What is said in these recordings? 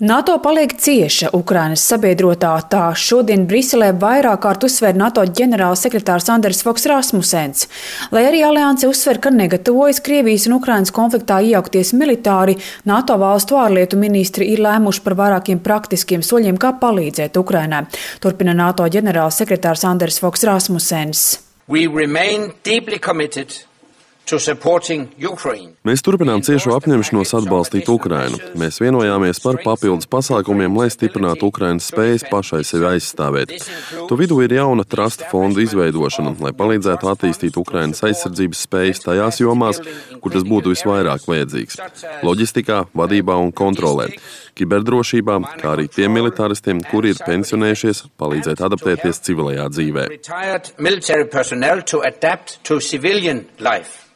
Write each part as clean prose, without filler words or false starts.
NATO paliek cieša Ukrainas sabiedrotā, tā šodien Briselē vairāk kārt uzsver NATO ģenerālsekretārs Anders Fogh Rasmussens. Lai arī alianse uzsver, ka negatavojas Krievijas un Ukrainas konfliktā iejaukties militāri, NATO valstu ārlietu ministri ir lēmuši par vairākiem praktiskiem soļiem, kā palīdzēt Ukrainai. Turpina NATO ģenerālsekretārs Anders Fogh Rasmussens. We remain deeply committed to supporting Ukraine. Mēs turpinām ciešo apņemšanos atbalstīt Ukrainu. Mēs vienojāmies par papildus pasākumiem, lai stiprinātu Ukrainas spējas pašai sevi aizstāvēt. To vidū ir jauna trusta fonda izveidošana, lai palīdzētu attīstīt Ukrainas aizsardzības spējas tajās jomās, kur tas būtu visvairāk vajadzīgs – loģistikā, vadībā un kontrolē, kiberdrošībā, kā arī tiem militāristiem, kuri ir pensionējušies, palīdzēt adaptēties civilajā dzīvē.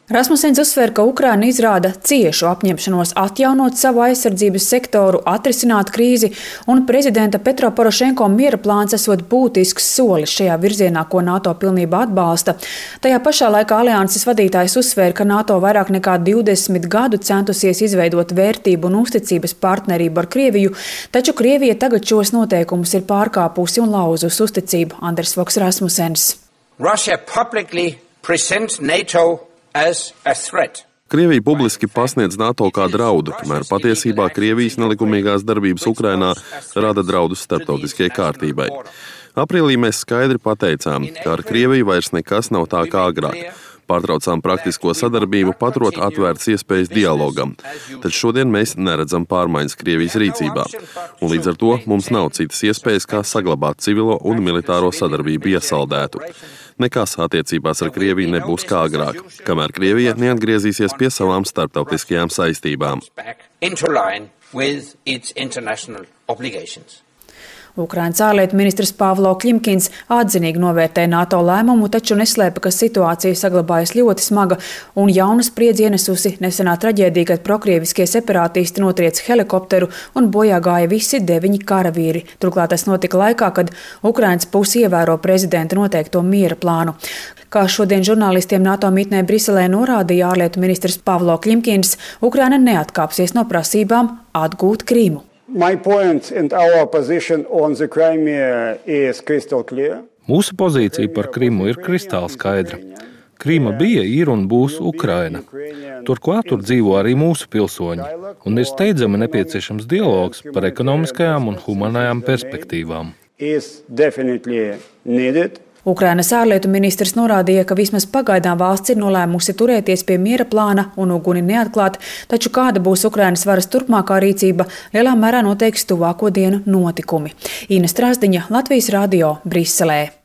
Rasmussens uzsver, ka Ukraina izrāda ciešu apņemšanos atjaunot savu aizsardzības sektoru, atrisināt krīzi, un prezidenta Petro Porošenko miera plāns esot būtisks solis šajā virzienā, ko NATO pilnībā atbalsta. Tajā pašā laikā alianses vadītājs uzsver, ka NATO vairāk nekā 20 gadu centusies izveidot vērtību un uzticības partnerību ar Krieviju, taču Krievija tagad šos noteikumus ir pārkāpusi un lauzus uzticību. Anders Fogh Rasmussens. Russia publicly presents NATO as a threat. Krievija publiski pasniedz NATO kā draudu, kamēr patiesībā Krievijas nelikumīgās darbības Ukrainā rada draudus starptautiskajai kārtībai. Aprīlī mēs skaidri pateicām, ka ar Krieviju vairs nekas nav tā kā agrāk. Pārtraucām praktisko sadarbību, paturot atvērtas iespējas dialogam. Taču šodien mēs neredzam pārmaiņas Krievijas rīcībā. Un līdz ar to mums nav citas iespējas, kā saglabāt civilo un militāro sadarbību iesaldētu. Nekas attiecībās ar Krieviju nebūs kā agrāk, kamēr Krievija neatgriezīsies pie savām starptautiskajām saistībām. Ukrainas ārlietu ministrs Pavlo Klimkins atzinīgi novērtē NATO lēmumu, taču neslēpa, ka situācija saglabājas ļoti smaga un jaunu spriedzi ienesusi nesenā traģēdija, kad prokrieviskie separātisti notriec helikopteru un bojā gāja visi 9 karavīri. Turklāt tas notika laikā, kad Ukrainas puse ievēro prezidenta noteikto miera plānu. Kā šodien žurnālistiem NATO mītnē Briselē norādīja ārlietu ministrs Pavlo Klimkins, Ukraina neatkāpsies no prasībām atgūt Krīmu. Mūsu pozīcija par Krimu ir kristāli skaidra. Krīma bija, ir un būs Ukraina. Turklāt tur dzīvo arī mūsu pilsoņi, un ir steidzami nepieciešams dialogs par ekonomiskajām un humanajām perspektīvām. Ukrainas ārlietu ministrs norādīja, ka vismaz pagaidām valsts ir nolēmusi turēties pie miera plāna un uguni neatklāt, taču kāda būs Ukrainas varas turpmākā rīcība, lielā mērā noteiks tuvāko dienu notikumi. Ina Strasdiņa, Latvijas radio, Briselē.